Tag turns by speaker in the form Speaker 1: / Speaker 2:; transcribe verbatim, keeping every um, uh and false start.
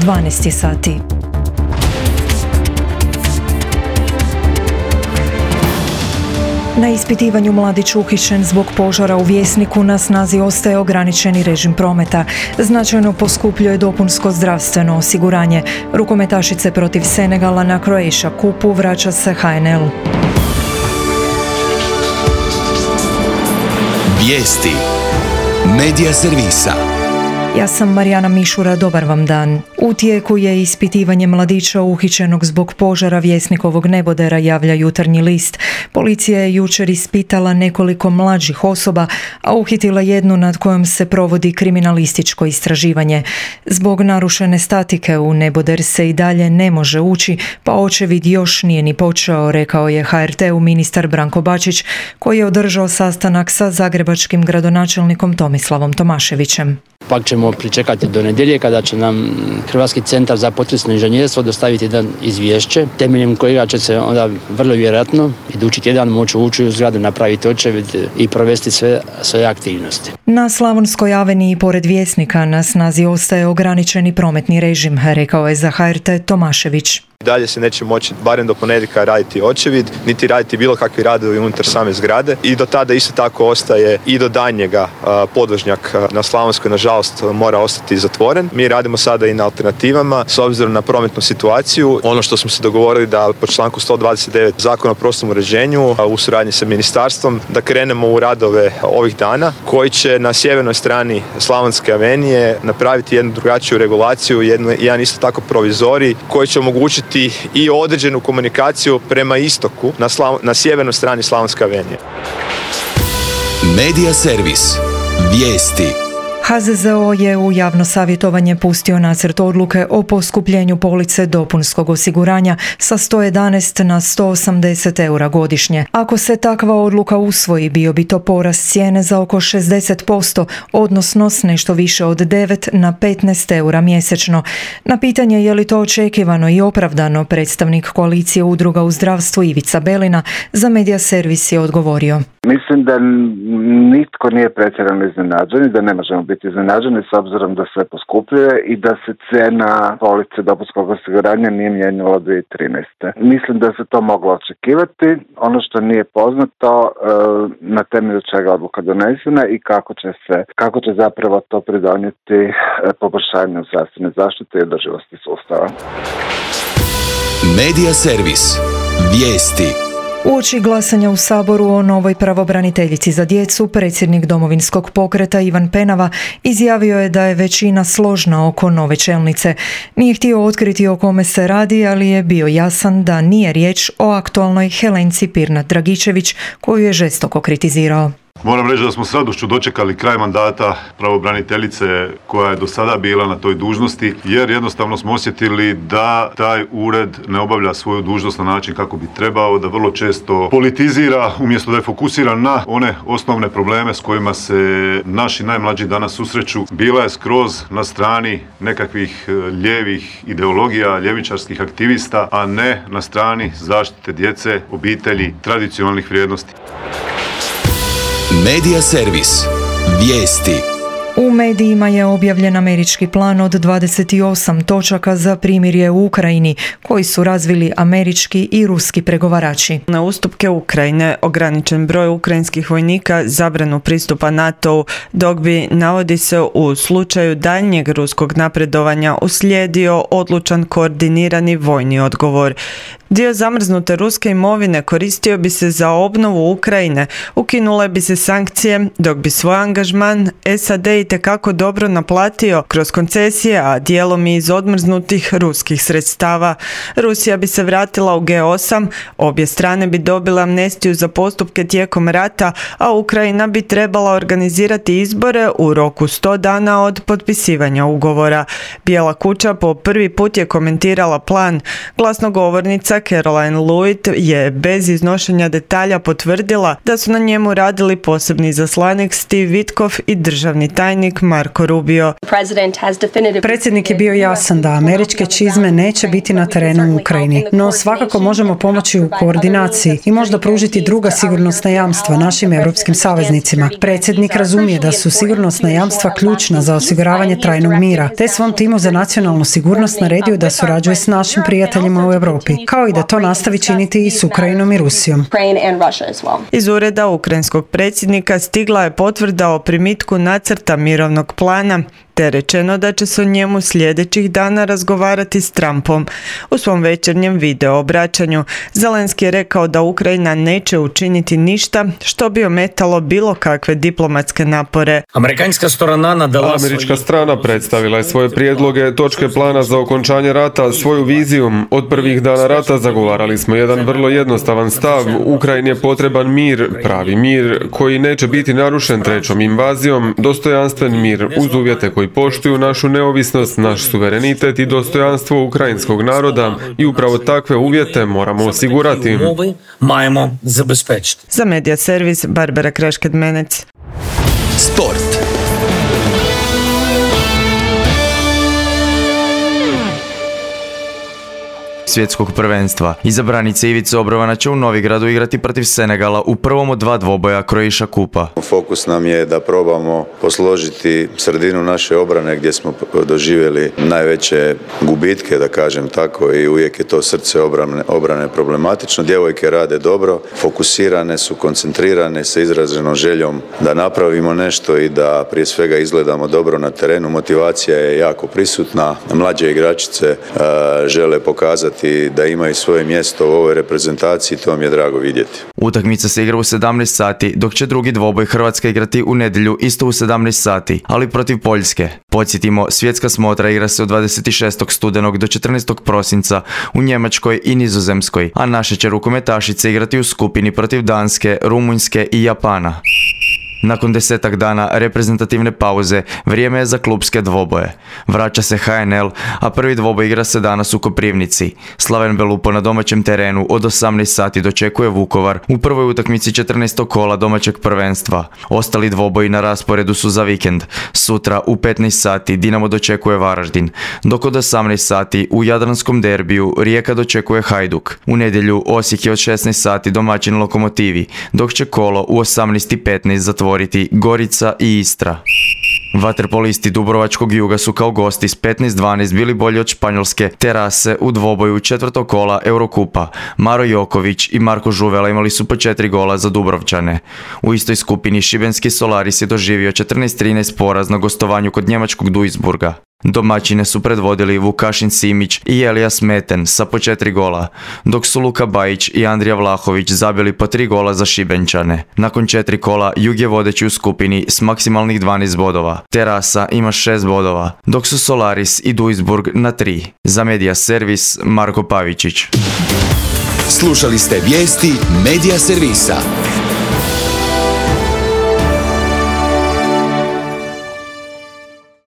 Speaker 1: dvanaest je sati. Na ispitivanju mladić uhićen zbog požara u Vjesniku na snazi ostaje ograničeni režim prometa. Značajno poskupljuje dopunsko zdravstveno osiguranje. Rukometašice protiv Senegala na Croatia Cupu vraća se H N L.
Speaker 2: Vijesti Medija servisa.
Speaker 1: Ja sam Marijana Mišura, dobar vam dan. U tijeku je ispitivanje mladića uhićenog zbog požara Vjesnikovog nebodera, javlja Jutarnji list. Policija je jučer ispitala nekoliko mlađih osoba, a uhitila jednu nad kojom se provodi kriminalističko istraživanje. Zbog narušene statike u neboder se i dalje ne može ući, pa očevid još nije ni počeo, rekao je H R T-u ministar Branko Bačić, koji je održao sastanak sa zagrebačkim gradonačelnikom Tomislavom Tomaševićem.
Speaker 3: Pak ćemo pričekati do nedjelje kada će nam Hrvatski centar za potresno inženjerstvo dostaviti jedan izvješće, temeljem kojega će se onda vrlo vjerojatno idući tjedan moći ući u zgradu, napraviti očevid i provesti sve svoje aktivnosti.
Speaker 1: Na Slavonskoj aveniji pored Vjesnika na snazi ostaje ograničeni prometni režim, rekao je za H R T Tomašević.
Speaker 4: Dalje se neće moći barem do ponedjeljka raditi očevid, niti raditi bilo kakvi radovi unutar same zgrade i do tada isto tako ostaje i do daljnjega podvožnjak na Slavonskoj nažalost mora ostati zatvoren. Mi radimo sada i na alternativama s obzirom na prometnu situaciju. Ono što smo se dogovorili da po članku sto dvadeset devet Zakona o prostornom uređenju u suradnji sa ministarstvom da krenemo u radove ovih dana koji će na sjevernoj strani Slavonske avenije napraviti jednu drugačiju regulaciju, jednu, jedan isto tako provizorij koji će omogućiti i određenu komunikaciju prema istoku na, Slav- na sjevernoj strani Slavonske avenije.
Speaker 2: Medija servis. Vijesti.
Speaker 1: H Z Z O je u javno savjetovanje pustio nacrt odluke o poskupljenju police dopunskog osiguranja sa sto jedanaest na sto osamdeset eura godišnje. Ako se takva odluka usvoji, bio bi to porast cijene za oko šezdeset posto, odnosno s nešto više od devet na petnaest eura mjesečno. Na pitanje je li to očekivano i opravdano, predstavnik koalicije udruga u zdravstvu Ivica Belina za Medija servis je odgovorio.
Speaker 5: Mislim da nitko nije pretjerano iznenađen i da ne možemo biti iznenađeni s obzirom da sve poskupljuje i da se cijena police dopunskog osiguranja nije mijenjala od dvije tisuće trinaeste. Mislim da se to moglo očekivati. Ono što nije poznato na temelju čega odluka donesena i kako će se, kako će zapravo to pridonijeti poboljšanju zdravstvene zaštite i održivosti sustava.
Speaker 2: Medija servis. Vijesti.
Speaker 1: Uoči glasanja u Saboru o novoj pravobraniteljici za djecu, predsjednik Domovinskog pokreta Ivan Penava izjavio je da je većina složna oko nove čelnice. Nije htio otkriti o kome se radi, ali je bio jasan da nije riječ o aktualnoj Helenci Pirnat-Dragičević, koju je žestoko kritizirao.
Speaker 6: Moram reći da smo s radošću dočekali kraj mandata pravobraniteljice koja je do sada bila na toj dužnosti, jer jednostavno smo osjetili da taj ured ne obavlja svoju dužnost na način kako bi trebao, da vrlo često politizira umjesto da je fokusiran na one osnovne probleme s kojima se naši najmlađi danas susreću. Bila je skroz na strani nekakvih lijevih ideologija, ljevičarskih aktivista, a ne na strani zaštite djece, obitelji, tradicionalnih vrijednosti.
Speaker 2: Medija servis. Vijesti.
Speaker 1: U medijima je objavljen američki plan od dvadeset osam točaka za primirje u Ukrajini, koji su razvili američki i ruski pregovarači.
Speaker 7: Na ustupke Ukrajine ograničen broj ukrajinskih vojnika, zabranu pristupa NATO-u, dok bi, navodi se, u slučaju daljnjeg ruskog napredovanja uslijedio odlučan koordinirani vojni odgovor. Dio zamrznute ruske imovine koristio bi se za obnovu Ukrajine, ukinule bi se sankcije, dok bi svoj angažman S A D itekako dobro naplatio kroz koncesije, a dijelom i iz odmrznutih ruskih sredstava. Rusija bi se vratila u G osam, obje strane bi dobile amnestiju za postupke tijekom rata, a Ukrajina bi trebala organizirati izbore u roku sto dana od potpisivanja ugovora. Bijela kuća po prvi put je komentirala plan. Glasnogovornica Caroline Lewitt je bez iznošenja detalja potvrdila da su na njemu radili posebni izaslanik Steve Witkoff i državni tajnik Marco Rubio.
Speaker 8: Predsjednik je bio jasan da američke čizme neće biti na terenu u Ukrajini, no svakako možemo pomoći u koordinaciji i možda pružiti druga sigurnosna jamstva našim europskim saveznicima. Predsjednik razumije da su sigurnosna jamstva ključna za osiguravanje trajnog mira, te svom timu za nacionalnu sigurnost naredio da surađuje s našim prijateljima u Europi, kao i da to nastavi činiti i s Ukrajinom i Rusijom.
Speaker 7: Iz ureda ukrajinskog predsjednika stigla je potvrda o primitku nacrta mirovnog plana, te rečeno da će se o njemu sljedećih dana razgovarati s Trumpom. U svom večernjem video obraćanju Zelenski je rekao da Ukrajina neće učiniti ništa što bi ometalo bilo kakve diplomatske napore.
Speaker 9: Američka strana predstavila je svoje prijedloge, točke plana za okončanje rata, svoju viziju. Od prvih dana rata zagovarali smo jedan vrlo jednostavan stav. Ukrajini je potreban mir, pravi mir, koji neće biti narušen trećom invazijom, dostojanstven mir uz uvjete koji poštuju našu neovisnost, naš suverenitet i dostojanstvo ukrajinskog naroda i upravo takve uvjete moramo osigurati.
Speaker 7: Za Medija servis Barbara Krašked-Menec.
Speaker 2: Sport.
Speaker 10: Svjetskog prvenstva. Izabranica Ivica Obrovana će u Novigradu igrati protiv Senegala u prvom od dva dvoboja Croatia Kupa.
Speaker 11: Fokus nam je da probamo posložiti sredinu naše obrane gdje smo doživjeli najveće gubitke, da kažem tako, i uvijek je to srce obrane, obrane problematično. Djevojke rade dobro, fokusirane su, koncentrirane sa izraženom željom da napravimo nešto i da prije svega izgledamo dobro na terenu. Motivacija je jako prisutna. Mlađe igračice uh, žele pokazati da imaju svoje mjesto u ovoj reprezentaciji, to mi je drago vidjeti.
Speaker 10: Utakmica se igra u sedamnaest sati, dok će drugi dvoboj Hrvatska igrati u nedjelju isto u sedamnaest sati, ali protiv Poljske. Podsjetimo, svjetska smotra igra se od dvadeset šestog studenog do četrnaestog prosinca u Njemačkoj i Nizozemskoj, a naše će rukometašice igrati u skupini protiv Danske, Rumunjske i Japana. Nakon desetak dana reprezentativne pauze, vrijeme je za klupske dvoboje. Vraća se H N L, a prvi dvoboj igra se danas u Koprivnici. Slaven Belupo na domaćem terenu od osamnaest sati dočekuje Vukovar u prvoj utakmici četrnaestog kola domaćeg prvenstva. Ostali dvoboji na rasporedu su za vikend. Sutra u petnaest sati Dinamo dočekuje Varaždin, dok od osamnaest sati u jadranskom derbiju Rijeka dočekuje Hajduk. U nedjelju Osijek je od šesnaest sati domaćin Lokomotivi, dok će kolo u osamnaest i petnaest zatvoriti Gorica i Istra. Vaterpolisti Dubrovačkog Juga su kao gosti s petnaest dvanaest bili bolji od španjolske Terase u dvoboju četvrtog kola Eurokupa. Maro Joković i Marko Žuvela imali su po četiri gola za Dubrovčane. U istoj skupini šibenski Solaris je doživio četrnaest trinaest poraz na gostovanju kod njemačkog Duisburga. Domaćine su predvodili Vukašin Simić i Elijas Meten sa po četiri gola, dok su Luka Bajić i Andrija Vlahović zabili po tri gola za Šibenčane. Nakon četiri kola Jug je vodeći u skupini s maksimalnih dvanaest bodova. Terasa ima šest bodova, dok su Solaris i Duisburg na tri. Za Medija servis Marko Pavičić.
Speaker 2: Slušali ste vijesti Medija servisa.